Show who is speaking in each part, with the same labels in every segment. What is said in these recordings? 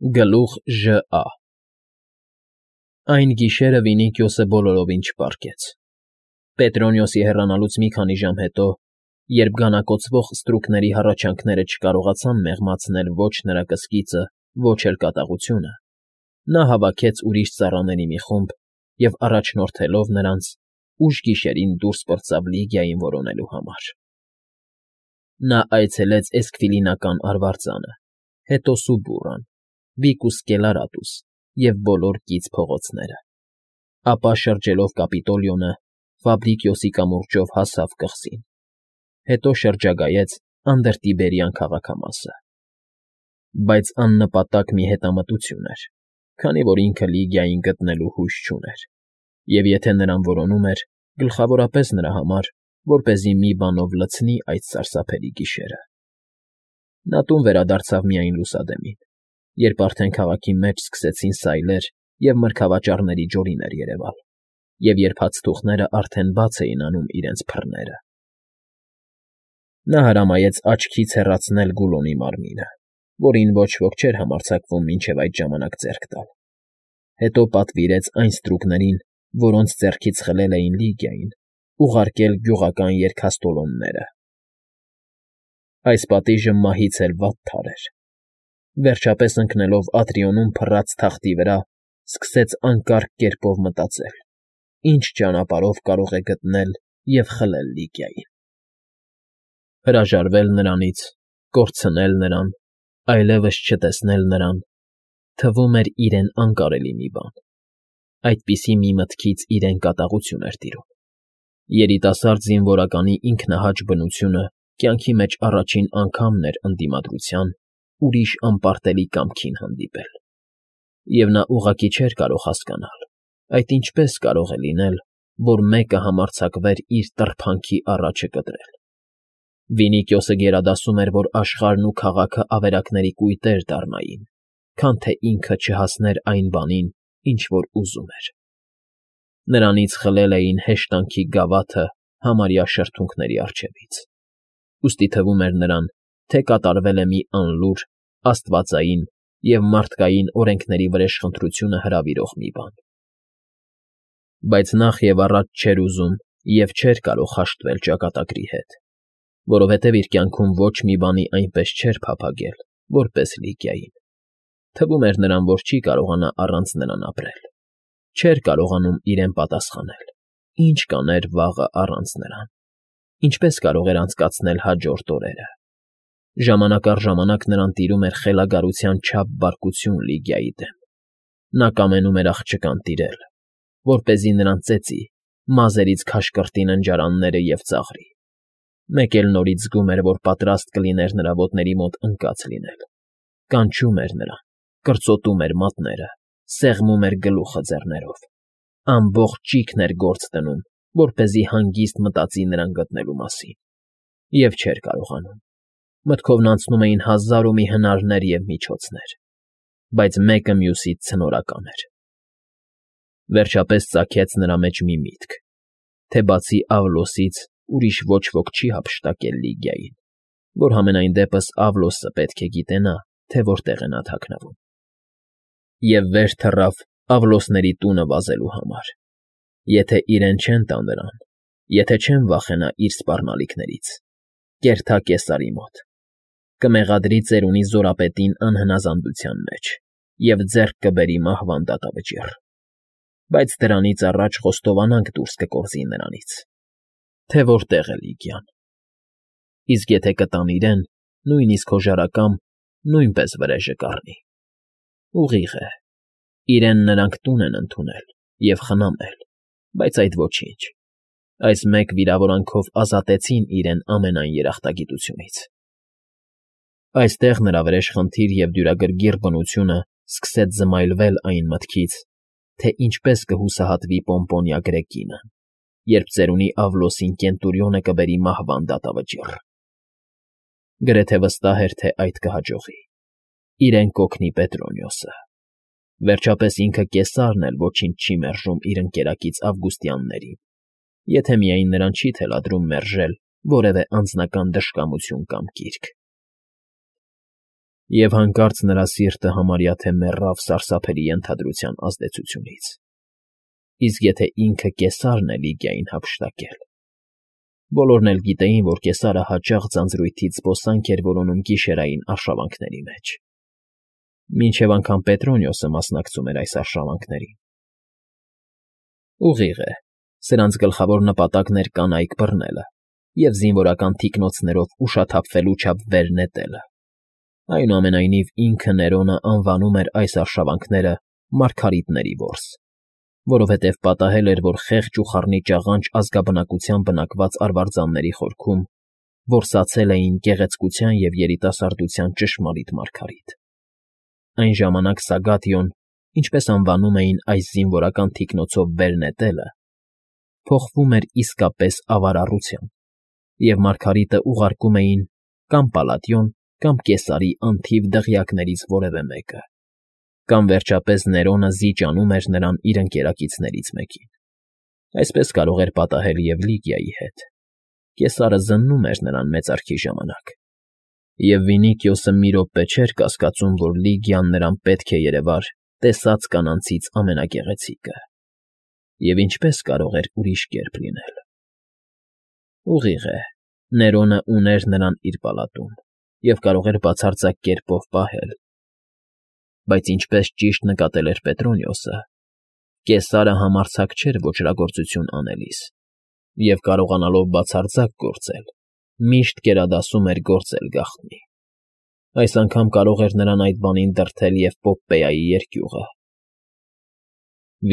Speaker 1: Գլուխ ԺԱ Այն գիշերը Վինիքիոսը բոլորովին չպարկեց։ Պետրոնիոսի հեռանալուց մի քանի ժամ հետո, երբ գանակոծվող ստրուկների հառաչանքները չկարողացան մեղմացնել ոչ նրա կսկիծը, ոչ էլ կատաղությունը, նա հավաքեց ուրիշ ծառաների մի խումբ և, առաջնորդելով նրանց, ուշ գիշերին դուրս պրծավ Լիգիային որոնելու համար։ Նա այցելեց Էսքվիլինական արվարձանը, հետո Սուբուրրան, Վիկուս Սկելարատուս և բոլոր կից փողոցները, ապա շրջելով Կապիտոլիոնը, Ֆաբրիկիոսի կամուրջով հասավ կղզին, հետո շրջագայեց Անդրտիբերյան քաղաքամասը։ Բայց աննպատակ մի հետամտություն էր, քանի որ ինքը Լիգիային գտնելու հույս չուներ, և եթե նրան որոնում էր, գլխավորապես նրա համար, որպեսզի մի բանով լցնի այդ սարսափելի գիշերը։ Նա տուն վերադարձավ միայն լուսադեմին, երբ արդեն քաղաքի մեջ սկսեցին սայլեր և մրգավաճառների ջորիներ երևալ, և երբ հացթուխներն արդեն բաց էին անում իրենց փռները։ Նա հրամայեց աչքից հեռացնել Գուլոնի մարմինը, որին ոչ ոք չէր համարձակվում մինչև այդ ժամանակ ձեռք տալ, հետո պատվիրեց այն ստրուկներին, որոնց ձեռքից խլել էին Լիգիային, ուղարկել գյուղական երգաստոլոնները։ Այս պատիժը մահից էլ վատթար էր։ Վերջապես ընկնելով Ատրիոնում փռած թախտի վրա, սկսեց անկարգ կերպով մտածել. ինչ ճանապարհով կարող է գտնել և խլել Լիգիային։ Հրաժարվել նրանից, կորցնել նրան, այլևս չտեսնել նրան, թվում էր իրեն անկարելի մի բան։ Այդպիսի մի մտքից իրեն կատաղություն էր տիրում։ Երիտասարդ զինվորականի ինքնահաճ բնությունը կյանքի մեջ առաջին անգամն էր ընդդիմադրության, ուրիշ անպարտելի կամքին հանդիպել։ Եվ նա ուղղակի չէր կարող հասկանալ, այդ ինչպես կարող է լինել, որ մեկը համարձակվեր իր տրփանքի առաջը կտրել։ Վինիքիոսը գերադասում էր, որ աշխարհն ու քաղաքը ավերակների կույտեր դառնային, քան թե ինքը չհասներ այն բանին, ինչ որ ուզում էր։ Նրանից խլել էին հեշտանքի գավաթը համարյա շրթունքների առջևից, ուստի թվում էր նրան, թե կատարվել է մի անլուր, աստվածային և մարդկային օրենքների վրեժխնդրությունը հրավիրող մի բան։ Բայց նախ և առաջ չէր ուզում և չէր կարող հաշտվել ճակատագրի հետ, որովհետև իր կյանքում ոչ մի բանի այնպես չէր փափագել, որպես Լիգիային։ Թվում էր նրան, որ չի կարողանա առանց նրան ապրել, չէր կարողանում իրեն պատասխանել, ինչ կաներ վաղը առանց նրան, ինչպես կարող էր անցկացնել հաջորդ օրերը։ Ժամանակ առ ժամանակ նրան տիրում էր խելագարության չափ բարկություն Լիգիայի դեմ։ Նա կամենում էր աղջկան տիրել, որպեսզի նրան ծեծի, մազերից քաշ կրտի ննջարանները և ծաղրի։ Մեկ էլ նորից զգում էր, որ պատրաստ կլիներ նրա ոտների մոտ ընկած լինել, կանչում էր նրան, կրծոտում էր մատները, սեղմում էր գլուխը ձեռներով, ամբողջ ճիգն էր գործ դնում, որպեսզի հանգիստ մտածի նրան գտնելու մասին։ Եվ չէր կարողանում։ Մտքովն անցնում էին հազար ու մի հնարներ և միջոցներ, բայց մեկը մյուսից ցնորական էր։ Վերջապես ծագեց նրա մեջ մի միտք, թե բացի Ավլոսից ուրիշ ոչ ոք չի հափշտակել Լիգիային, որ համենայն դեպս Ավլոսը պետք է գիտենա, թե որտեղ է նա թաքնվում։ Եվ վեր թռավ Ավլոսների տունը վազելու համար։ Եթե իրեն չեն տա նրան, եթե չեն վախենա իր սպառնալիքներից, կերթա Կեսարի մոտ, կմեղադրի ծերունի զորապետին անհնազանդության մեջ և ձեռք կբերի մահվան դատավճիռ։ Բայց դրանից առաջ խոստովանանք դուրս կկորզի նրանից, թե որտեղ է Լիգիան։ Իսկ եթե կտան իրեն, նույնիսկ հոժարակամ, նույնպես վրեժը կառնի։ Ուղիղ է, իրեն նրանք տուն են ընդունել և խնամել, բայց այդ ոչինչ։ Այս մեկ վիրավորանքով ազատեցին իրեն ամենայն երախտագիտությունից։ Այստեղ նրա վրեժխնդիր և դյուրագրգիռ բնությունը սկսեց զմայլվել այն մտքից, թե ինչպես կհուսահատվի Պոմպոնիա Գրեկինը, երբ ծերունի Ավլոսին Կենտուրիոնը կբերի մահվան դատավճիռ։ Գրեթե վստահ էր, թե այդ կհաջողի։ Իրեն կօգնի Պետրոնիոսը։ Վերջապես ինքը Կեսարն էլ ոչինչ չի մերժում իր ընկերակից Ավգուստիաններին, եթե միայն նրան չի թելադրում մերժել որևէ անձնական դժկամություն կամ կիրք։ Եվ հանկարծ նրա սիրտը համարյա թե մեռավ սարսափելի ենթադրության ազդեցությունից. իսկ եթե ինքը կեսարն է Լիգիային հափշտակել… Բոլորն էլ գիտեին, որ կեսարը հաճախ ձանձրույթից զբոսանք էր որոնում գիշերային արշավանքների մեջ, մինչև անգամ Պետրոնիոսը մասնակցում էր այս արշավանքներին։ Ուղիղ է, սրանց գլխավոր նպատակն էր կանայք բռնելը և զինվորական թիկնոցներով ուշաթափվելու չափ վեր նետելը։ Այնուամենայնիվ ինքը Ներոնը անվանում էր այս արշավանքները «մարգարիտների որս», որովհետև պատահել էր, որ խեղճ ու խառնիճ աղանջ ազգաբնակությամբ բնակված արվարձանների խորքում որսացել էին գեղեցկության և երիտասարդության ճշմարիտ մարգարիտ։ Այն ժամանակ Սագատիոն, ինչպես անվանում էին այս զինվորական թիկնոցով վեր նետելը, փոխվում էր իսկապես ավարառության, և մարգարիտը ուղարկում էին կամ Պալատիոն, կամ Կեսարի անթիվ դղյակներից որևէ մեկը, կամ վերջապես Ներոնը զիջանում էր նրան իր ընկերակիցներից մեկին։ Այսպես կարող էր պատահել և Լիգիայի հետ։ Կեսարը զննում էր նրան մեծարքի ժամանակ, և Վինիկիոսը մի րոպե չէր կասկածում, որ Լիգիան նրան պետք է երևար տեսած կանանցից ամենագեղեցիկը։ Եվ ինչպես կարող էր ուրիշ կերպ լինել։ Ուղիղ է, Ներոնը ուներ նրան իր պալատում և կարող էր բացարձակ կերպով պահել, բայց ինչպես ճիշտ նկատել էր Պետրոնիոսը, Կեսարը համարձակ չէր ոճրագործություն անելիս, և կարողանալով բացարձակ գործել, միշտ գերադասում էր գործել գաղտնի։ Այս անգամ կարող էր նրան այդ բանին դրդել և Պոպպեայի երկյուղը։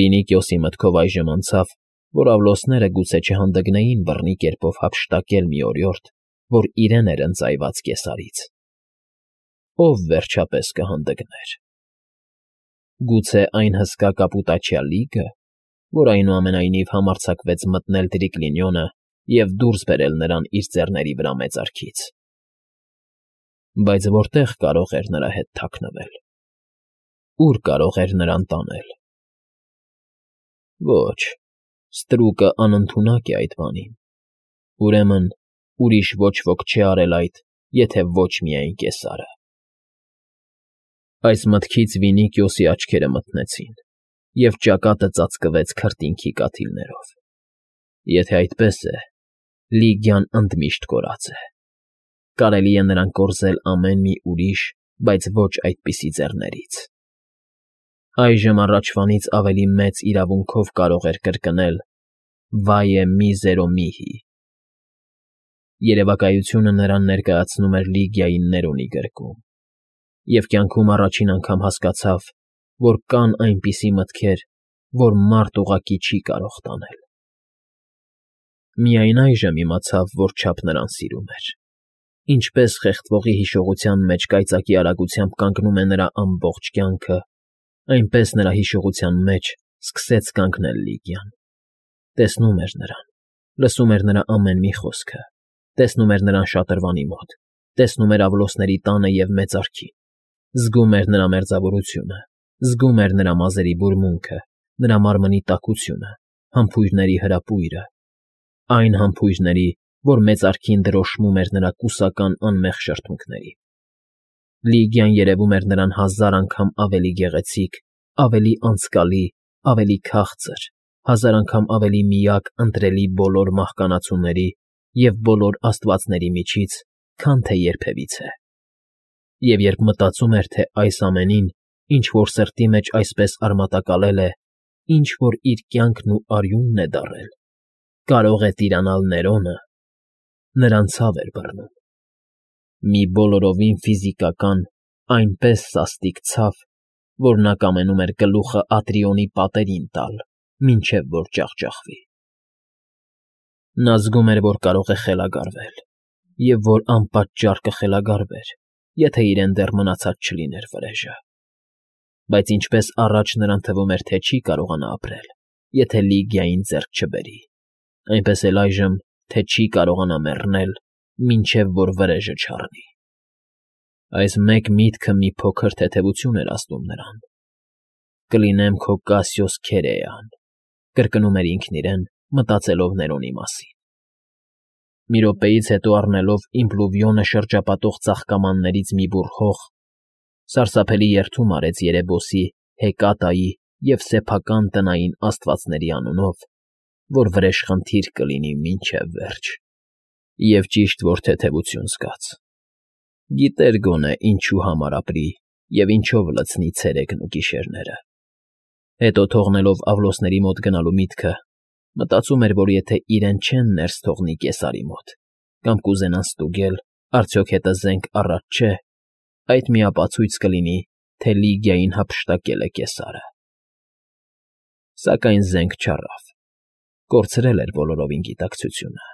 Speaker 1: Վինիկիոսի մտքով այժմ անցավ, որ Ավլոսները գուցե չհանդգնեին բռնի կերպով հափշտակել մի օրիորդ, որ իրեն էր ընծայված Կեսարից։ Ո՞վ վերջապես կհանդգներ։ Գուցե այն հսկա կապուտաչյա Լիգը, որ այնուամենայնիվ համարձակվեց մտնել Տրիկլինիոնը և դուրս բերել նրան իր ձեռների վրա մեծարքից։ Բայց որտե՞ղ կարող էր նրա հետ թաքնվել։ Ո՞ւր կարող էր նրան տանել։ Ոչ, ստրուկը անընդունակ է այդ բանին։ Ուրեմն ուրիշ ոչ ոք չի արել այդ, եթե ոչ միայն Կեսարը։ Այս մտքից Վինիկիոսի աչքերը մթնեցին, և ճակատը ծածկվեց քրտինքի կաթիլներով։ Եթե այդպես է, Լիգիան ընդմիշտ կորած է։ Կարելի է նրան կորզել ամեն մի ուրիշ, բայց ոչ այդպիսի ձեռներից։ Այժմ առաջվանից ավելի մեծ իրավունքով կարող էր կրկնել. «Վայե միզերո միհի»։ Երևակայությունը նրան ներկայացնում էր Լիգիայի Ներոնի գրկում, և կյանքում առաջին անգամ հասկացավ, որ կան այնպիսի մտքեր, որ մարդ ուղղակի չի կարող տանել։ Միայն այժմ իմացավ, որչափ նրան սիրում էր, ինչպես խեղդվողի հիշողության մեջ կայծակի արագությամբ կանգնում է նրա ամբողջ կյանքը, այնպես նրա հիշողության մեջ սկսեց կանգնել Լիգիան։ Տեսնում էր նրան, լսում էր նրա ամեն մի խոսքը, տեսնում էր նրան շատրվանի մոտ, տեսնում էր Ավլոսների տանը և մեծարքին, զգում էր նրա մերձավորությունը, զգում էր նրա մազերի բուրմունքը, նրա մարմնի տաքությունը, համբույրների հրապույրը, այն համբույրների, որ մեծարքին դրոշմում էր նրա կուսական անմեղ շրթունքներին։ Լիգիան երևում էր նրան 1000 անգամ ավելի գեղեցիկ, ավելի անցկալի, ավելի քաղցր, 1000 անգամ ավելի միակ ընտրելի բոլոր մահկանացուների և բոլոր աստվածների միջից, քան թե երբևիցե։ Եվ երբ մտածում էր, թե այս ամենին, ինչ որ սրտի մեջ այսպես արմատակալել է, ինչ որ իր կյանքն ու արյունն է դառել, կարող է տիրանալ Ներոնը, նրան ցավ էր բռնում։ Մի բոլորովին ֆիզիկական, այնպես սաստիկ ցավ, որ նա կամենում էր գլուխը Ատրիոնի պատերին տալ, մինչև որ ջախջախվի։ Նա զգում էր, որ կարող է խելագարվել, և որ անպատճառ կխելագարվեր, եթե իրեն դեռ մնացած չլիներ վրեժը։ Բայց ինչպես առաջ նրան թվում էր, թե չի կարողանա ապրել, եթե Լիգիային ձեռք չբերի, այնպես էլ այժմ, թե չի կարողանա մեռնել, մինչև որ վրեժը չառնի։ Այս մեկ միտքը մի փոքր թեթևություն էր ազդում նրան։ «Կլինեմ քո Կասիոս Քերեան», կրկնում էր ինքն իրեն, մտածելով Ներոնի մասին։ Մի րոպեից հետո առնելով իմպլուվիոնը շրջապատող ծաղկամաններից մի բուռ հող, Սարսափելի երդում արեց Երեբոսի, Հեկատայի և սեփական տնային աստվածների անունով, որ վրեժխնդիր կլինի մինչև վերջ, և ճիշտ որ թեթևություն զգաց. գիտեր գոնե ինչու համար ապրի և ինչով լցնի ցերեկն ու գիշերները։ Հետո թողնելով Ավլոսների մոտ գնալու միտքը, մտածում էր, որ եթե իրեն չեն ներս թողնի Կեսարի մոտ, կամ կուզենան ստուգել, արդյոք հետը զենք առած չէ, այդ միապացույց կլինի, թե Լիգիային հափշտակել է Կեսարը։ Սակայն զենք չառավ, կորցրել էր բոլորովին գիտակցությունը,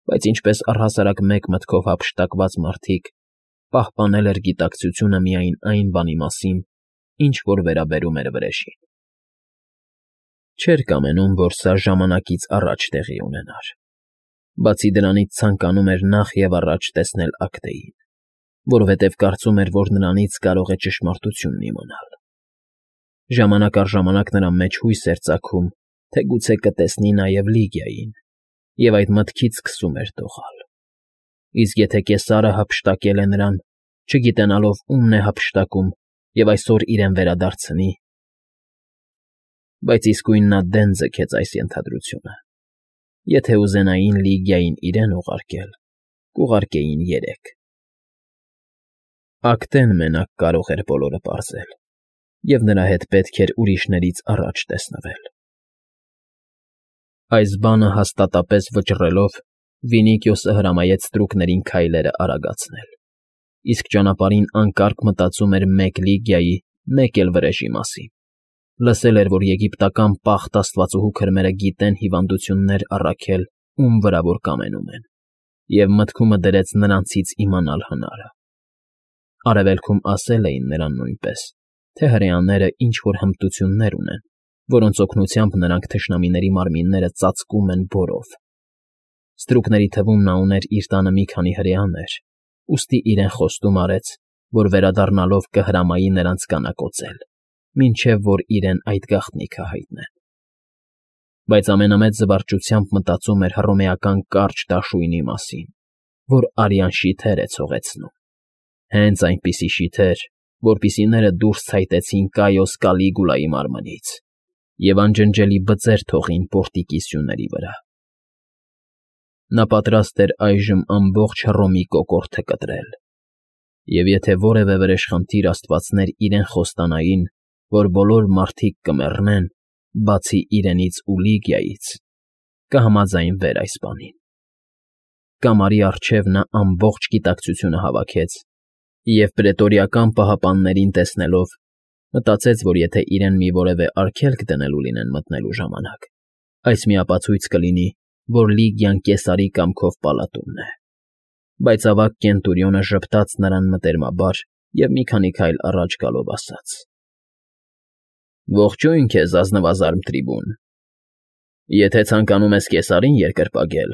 Speaker 1: բայց ինչպես առհասարակ մեկ մտքով հափշտակված մարդիկ, պահպանել էր գիտակցությունը միայն այն բանի մասին, ինչ որ վերաբերում էր վրեժին։ Չէր կամենում, որ սա ժամանակից առաջ տեղի ունենար, բացի դրանից ցանկանում էր նախ և առաջ տեսնել Ակտեին, որովհետև կարծում էր, որ նրանից կարող է ճշմարտությունն իմանալ։ Ժամանակ առ ժամանակ նրա մեջ հույս էր ծագում, թե գուցե կտեսնի նաև Լիգիային, և այդ մտքից սկսում էր դողալ։ Իսկ եթե Կեսարը հափշտակել է նրան, չգիտենալով ումն է հափշտակում և այսօր իրեն վերադարձնի… Բայց իսկույն նա դեն ձգեց այս ենթադրությունը. եթե ուզենային Լիգիային իրեն ուղարկել, կուղարկեին երեք։ Ակտեն մենակ կարող էր բոլորը պարզել, և նրա հետ պետք էր ուրիշներից առաջ տեսնվել։ Այս բանը հաստատապես վճռելով, Վինիկիոսը հրամայեց ստրուկներին քայլերը արագացնել, իսկ ճանապարհին անկարգ մտածում էր մեկ Լիգիայի, մեկ էլ վրեժի մասին։ Լսել էր, որ եգիպտական պաղտ աստվածուհու քրմերը գիտեն հիվանդություններ առաքել, ում վրա որ կամենում են, և մտքումը դրեց նրանցից իմանալ հնարը։ Արևելքում ասել էին նրան նույնպես, թե հրեաները ինչ֊որ հմտություններ ունեն, որոնց օգնությամբ նրանք թշնամիների մարմինները ծածկում են բորով։ Ստրուկների թվում նա ուներ իր տանը մի քանի հրեաներ, ուստի իրեն խոստում արեց, որ վերադառնալով կհրամայի նրանց կանակոծել, մինչև որ իրեն այդ գաղտնիքը հայտնեն։ Բայց ամենամեծ զվարճությամբ մտածում էր հռոմեական կարճ դաշույնի մասին, որ արյան շիթեր է ցողեցնում։ Հենց այնպիսի շիթեր, որպիսիները դուրս ցայտեցին Կայոս Կալիգուլայի մարմնից և անջնջելի բծեր թողին պորտիկի սյուների վրա։ Նա պատրաստ էր այժմ ամբողջ Հռոմի կոկորդը կտրել, և եթե որևէ վրեժխնդիր աստվածներ իրեն խոստանային, որ բոլոր մարդիկ կմեռնեն, բացի իրենից ու Լիգիայից, կհամաձայնվեր այս բանին։ Կամարի առջև նա ամբողջ գիտակցությունը հավաքեց և պրետորիական պահապաններին տեսնելով, մտածեց, որ եթե իրեն մի որևէ արգելք դնելու լինեն մտնելու ժամանակ, այս միապացույց կլինի, որ Լիգիան Կեսարի կամքով պալատումն է։ Բայց ավագ Կենտուրիոնը ժպտաց նրան մտերմաբար և մի քանի քայլ առաջ գալով ասաց. «Ողջույն քեզ, ազնվազարմ Տրիբուն… Եթե ցանկանում ես Կեսարին երկրպագել,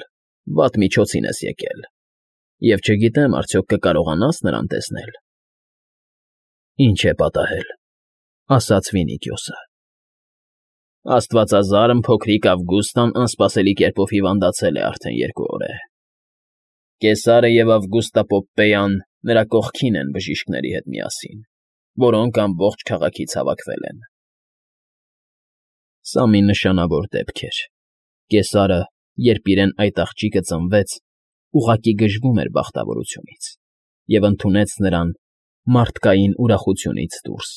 Speaker 1: վատ միջոցին ես եկել, և չգիտեմ, արդյոք կկարողանա՞ս նրան տեսնել»։ «Ինչ է պատահել,֊ ասաց Վինիկիոսը։ Աստվածազարմ փոքրիկ Ավգուստան անսպասելի կերպով հիվանդացել է արդեն 2 օր է։ Կեսարը և Ավգուստա Պոպպեյան նրա կողքին են բժիշկների հետ միասին, որոնք ամբողջ քաղաքից հավաքվել են»։ Սա մի նշանավոր դեպք էր։ Կեսարը, երբ իրեն այդ աղջիկը ծնվեց, ուղղակի գժվում էր բախտավորությունից և ընդունեց նրան մարդկային ուրախությունից դուրս։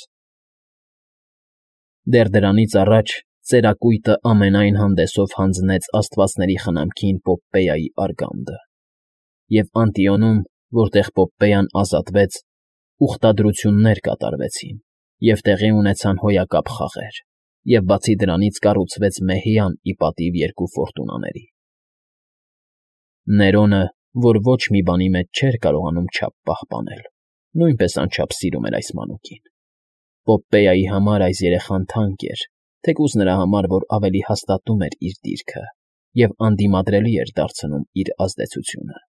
Speaker 1: Դեռ դրանից առաջ ծերակույտը ամենայն հանդեսով հանձնեց աստվածների խնամքին Պոպպեայի արգանդը, և Անտիոնում, որտեղ Պոպպեյան ազատվեց, ուխտադրություններ կատարվեցին, և տեղի ունեցան հոյակապ խաղեր, և բացի դրանից կառուցվեց մեհյան ի պատիվ 2 ֆորտունաների։ Ներոնը, որ ոչ մի բանի մեջ չէր կարողանում չափ պահպանել, նույնպես անչափ սիրում էր այս մանուկին։ Պոպպեայի համար այս երեխան թանկ էր, թեկուզ նրա համար, որ ավելի հաստատում էր իր դիրքը և անդիմադրելի էր դարձնում իր ազդեցությունը։